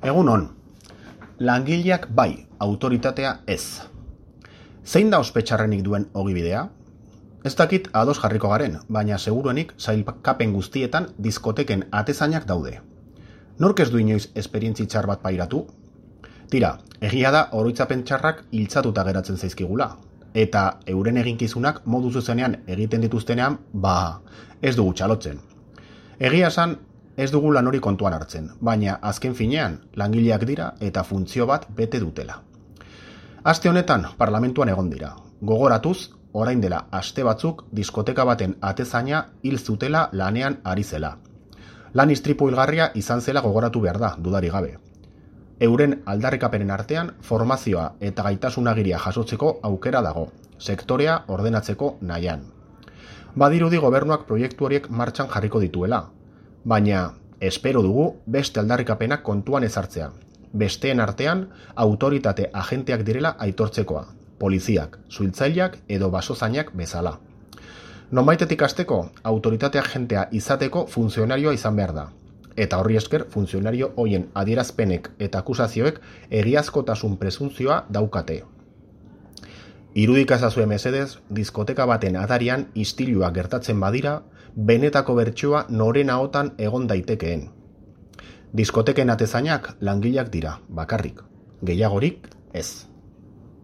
Egun on, langileak bai, autoritatea ez. Zein da ospetxarrenik duen ogibidea? Ez dakit ados jarriko garen, baina seguruenik sailkapen guztietan diskoteken atezainak daude. Nork ez du inoiz esperientzi txar bat pairatu? Tira, egia da oroitzapen txarrak hiltzatuta geratzen zaizkigula, eta euren eginkizunak modu zuzenean egiten dituztenean, ez dugu txalotzen. Egia esan, ez dugu lan hori kontuan hartzen, baina azken finean langileak dira eta funtzio bat bete dutela. Aste honetan parlamentuan egon dira. Gogoratuz, orain dela aste batzuk diskoteka baten atezaina hil zutela lanean ari zela. Lan istripu hilgarria izan zela gogoratu behar da, dudari gabe. Euren aldarrikapenen artean formazioa eta gaitasunagiria jasotzeko aukera dago, sektorea ordenatzeko nahian. Badirudi gobernuak proiektu horiek martxan jarriko dituela, baina espero dugu beste aldarrikapenak kontuan ezartzea. Besteen artean autoritate agenteak direla aitortzekoa, poliziak, suhiltzaileak edo basozainak bezala. Nonbaitetik hasteko, autoritate agentea izateko funtzionarioa izan behar da. Eta horri esker funtzionario hoien adierazpenek eta akusazioek egiazkotasun presuntzioa daukate. Irudika ezazue mesedez, diskoteka baten atarian istilua gertatzen badira, benetako bertsioa noren ahotan egon daitekeen. Diskoteken atezainak langileak dira, bakarrik. Gehiagorik ez.